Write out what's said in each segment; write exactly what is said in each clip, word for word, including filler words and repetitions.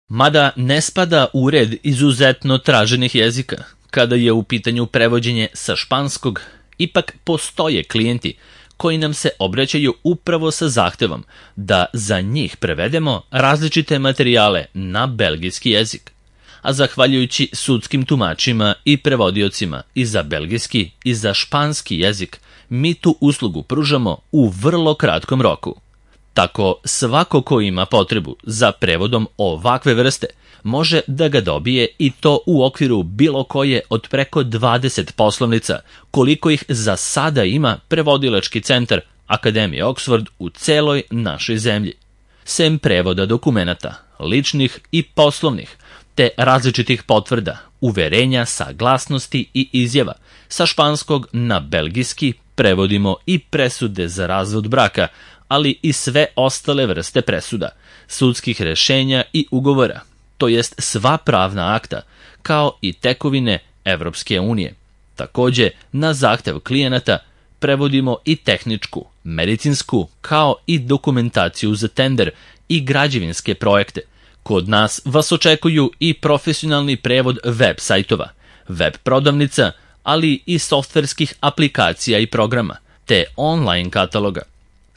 Mada ne spada u red izuzetno traženih jezika, kada je u pitanju prevođenje sa španskog, ipak postoje klijenti koji nam se obraćaju upravo sa zahtevom da za njih prevedemo različite materijale na belgijski jezik. A zahvaljujući sudskim tumačima i prevodiocima i za belgijski i za španski jezik, mi tu uslugu pružamo u vrlo kratkom roku. Tako svako ko ima potrebu za prevodom ovakve vrste može da ga dobije i to u okviru bilo koje od preko dvadeset poslovnica, koliko ih za sada ima prevodilački centar Akademije Oxford u celoj našoj zemlji. Sem prevoda dokumenata, ličnih i poslovnih, te različitih potvrda, uverenja, saglasnosti i izjava, sa španskog na belgijski prevodimo i presude za razvod braka, ali i sve ostale vrste presuda, sudskih rešenja i ugovora, to jest sva pravna akta, kao i tekovine Evropske unije. Takođe, na zahtev klijenata prevodimo i tehničku, medicinsku, kao i dokumentaciju za tender i građevinske projekte. Kod nas vas očekuju i profesionalni prevod web sajtova, web prodavnica, ali i softverskih aplikacija i programa, te online kataloga.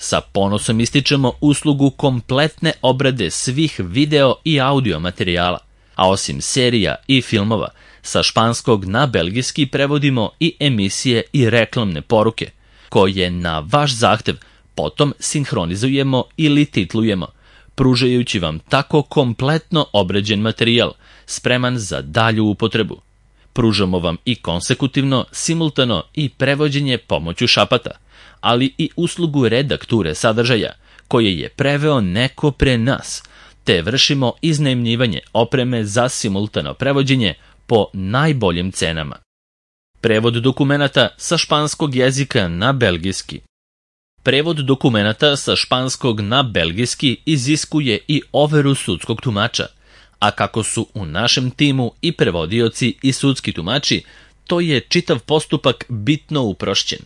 Sa ponosom ističemo uslugu kompletne obrade svih video i audio materijala, a osim serija i filmova, sa španskog na belgijski prevodimo i emisije i reklamne poruke, koje na vaš zahtev potom sinhronizujemo ili titlujemo, pružajući vam tako kompletno obrađen materijal, spreman za dalju upotrebu. Pružamo vam i konsekutivno, simultano i prevođenje pomoću šapata, ali i uslugu redakture sadržaja, koje je preveo neko pre nas, te vršimo iznajmljivanje opreme za simultano prevođenje po najboljim cenama. Prevod dokumenata sa španskog jezika na belgijski. Prevod dokumenata sa španskog na belgijski iziskuje i overu sudskog tumača, a kako su u našem timu i prevodioci i sudski tumači, to je čitav postupak bitno uprošćen.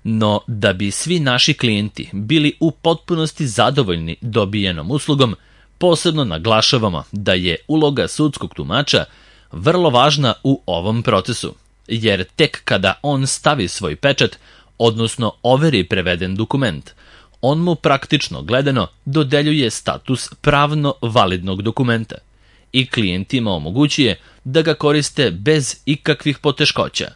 No, da bi svi naši klijenti bili u potpunosti zadovoljni dobijenom uslugom, posebno naglašavamo da je uloga sudskog tumača vrlo važna u ovom procesu, jer tek kada on stavi svoj pečat, odnosno overi preveden dokument, on mu praktično gledano dodeljuje status pravno validnog dokumenta i klijentima omogućuje da ga koriste bez ikakvih poteškoća.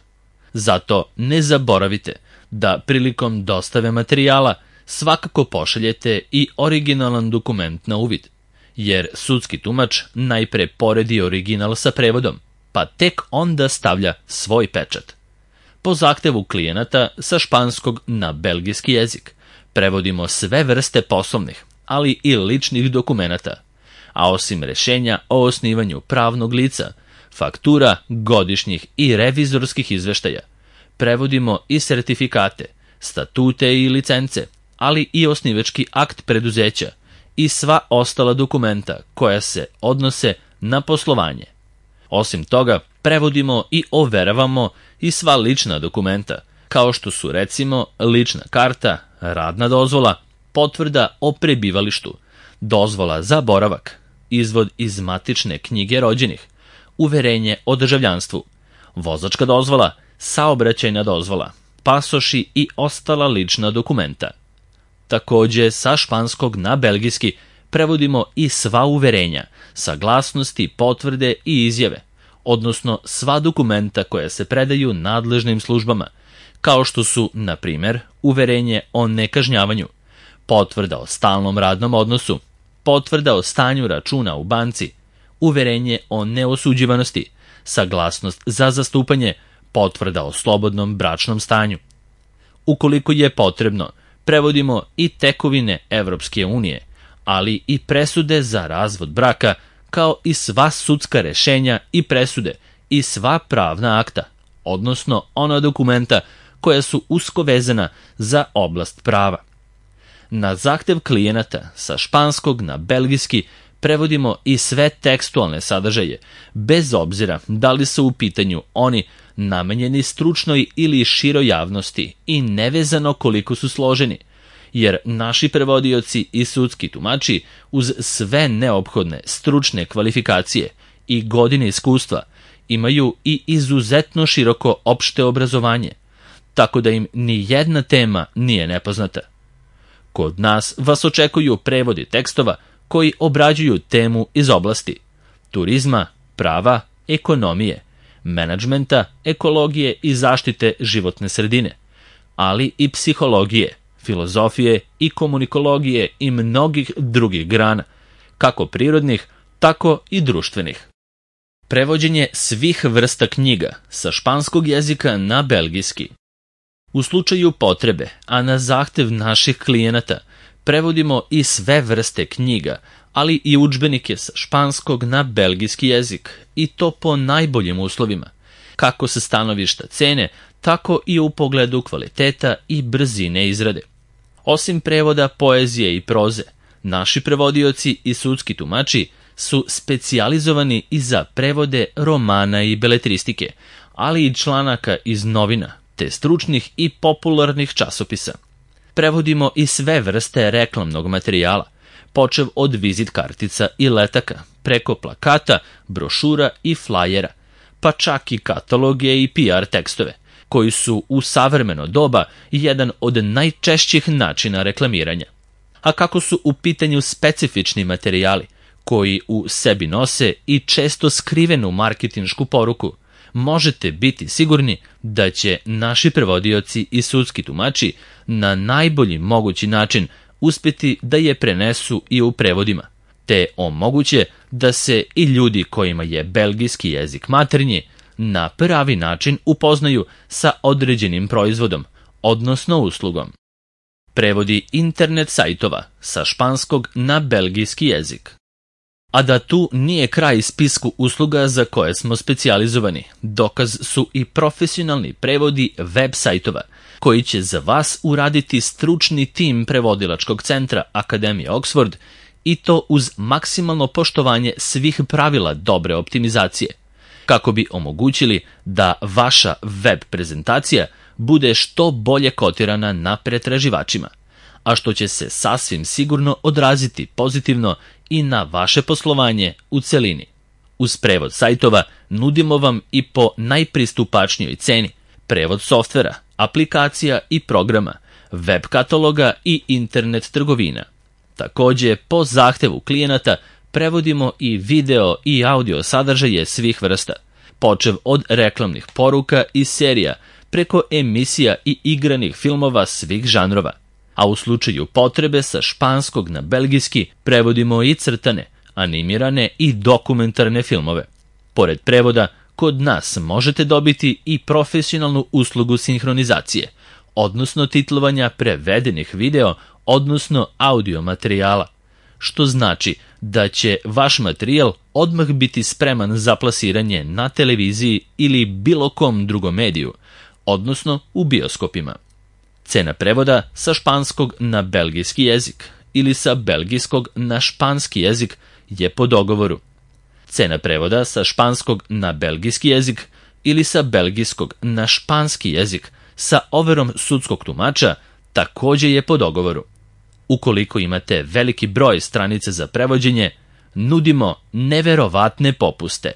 Zato ne zaboravite da prilikom dostave materijala svakako pošaljete i originalan dokument na uvid, jer sudski tumač najpre poredi original sa prevodom, pa tek onda stavlja svoj pečat. Po zahtevu klijenata sa španskog na belgijski jezik prevodimo sve vrste poslovnih, ali i ličnih dokumenata, a osim rešenja o osnivanju pravnog lica, faktura, godišnjih i revizorskih izveštaja, prevodimo i sertifikate, statute i licence, ali i osnivački akt preduzeća i sva ostala dokumenta koja se odnose na poslovanje. Osim toga, prevodimo i overavamo i sva lična dokumenta, kao što su recimo lična karta, radna dozvola, potvrda o prebivalištu, dozvola za boravak, izvod iz matične knjige rođenih, uverenje o državljanstvu, vozačka dozvola, saobraćajna dozvola, pasoši i ostala lična dokumenta. Takođe, sa španskog na belgijski prevodimo i sva uverenja, saglasnosti, potvrde i izjave, odnosno sva dokumenta koja se predaju nadležnim službama, kao što su, na primer, uverenje o nekažnjavanju, potvrda o stalnom radnom odnosu, potvrda o stanju računa u banci, uverenje o neosuđivanosti, saglasnost za zastupanje, potvrda o slobodnom bračnom stanju. Ukoliko je potrebno, prevodimo i tekovine Evropske unije, ali i presude za razvod braka, kao i sva sudska rešenja i presude i sva pravna akta, odnosno ona dokumenta koja su usko vezana za oblast prava. Na zahtev klijenata sa španskog na belgijski prevodimo i sve tekstualne sadržaje, bez obzira da li su u pitanju oni namenjeni stručnoj ili široj javnosti i nevezano koliko su složeni, jer naši prevodioci i sudski tumači uz sve neophodne stručne kvalifikacije i godine iskustva imaju i izuzetno široko opšte obrazovanje, tako da im ni jedna tema nije nepoznata. Kod nas vas očekuju prevodi tekstova koji obrađuju temu iz oblasti turizma, prava, ekonomije, menadžmenta, ekologije i zaštite životne sredine, ali i psihologije, filozofije i komunikologije i mnogih drugih grana, kako prirodnih, tako i društvenih. Prevođenje svih vrsta knjiga sa španskog jezika na belgijski. U slučaju potrebe, a na zahtev naših klijenata, prevodimo i sve vrste knjiga, ali i udžbenike sa španskog na belgijski jezik, i to po najboljim uslovima, kako sa stanovišta cene, tako i u pogledu kvaliteta i brzine izrade. Osim prevoda poezije i proze, naši prevodioci i sudski tumači su specijalizovani i za prevode romana i beletristike, ali i članaka iz novina, te stručnih i popularnih časopisa. Prevodimo i sve vrste reklamnog materijala, počev od vizit kartica i letaka, preko plakata, brošura i flajera, pa čak i kataloge i P R tekstove, koji su u savremeno doba jedan od najčešćih načina reklamiranja. A kako su u pitanju specifični materijali, koji u sebi nose i često skrivenu marketinšku poruku, možete biti sigurni da će naši prevodioci i sudski tumači na najbolji mogući način uspjeti da je prenesu i u prevodima, te omoguće da se i ljudi kojima je belgijski jezik maternji na pravi način upoznaju sa određenim proizvodom, odnosno uslugom. Prevodi internet sajtova sa španskog na belgijski jezik. A da tu nije kraj spisku usluga za koje smo specijalizovani, dokaz su i profesionalni prevodi web sajtova, koji će za vas uraditi stručni tim prevodilačkog centra Akademije Oxford, i to uz maksimalno poštovanje svih pravila dobre optimizacije, kako bi omogućili da vaša web prezentacija bude što bolje kotirana na pretraživačima, a što će se sasvim sigurno odraziti pozitivno i na vaše poslovanje u celini. Uz prevod sajtova nudimo vam i po najpristupačnijoj ceni prevod softvera, aplikacija i programa, web kataloga i internet trgovina. Također, po zahtevu klijenata prevodimo i video i audio sadržaje svih vrsta, počev od reklamnih poruka i serija, preko emisija i igranih filmova svih žanrova. A u slučaju potrebe sa španskog na belgijski prevodimo i crtane, animirane i dokumentarne filmove. Pored prevoda, kod nas možete dobiti i profesionalnu uslugu sinhronizacije, odnosno titlovanja prevedenih video, odnosno audio materijala, što znači da će vaš materijal odmah biti spreman za plasiranje na televiziji ili bilo kom drugom mediju, odnosno u bioskopima. Cena prevoda sa španskog na belgijski jezik ili sa belgijskog na španski jezik je po dogovoru. Cena prevoda sa španskog na belgijski jezik ili sa belgijskog na španski jezik sa overom sudskog tumača također je po dogovoru. Ukoliko imate veliki broj stranica za prevođenje, nudimo neverovatne popuste.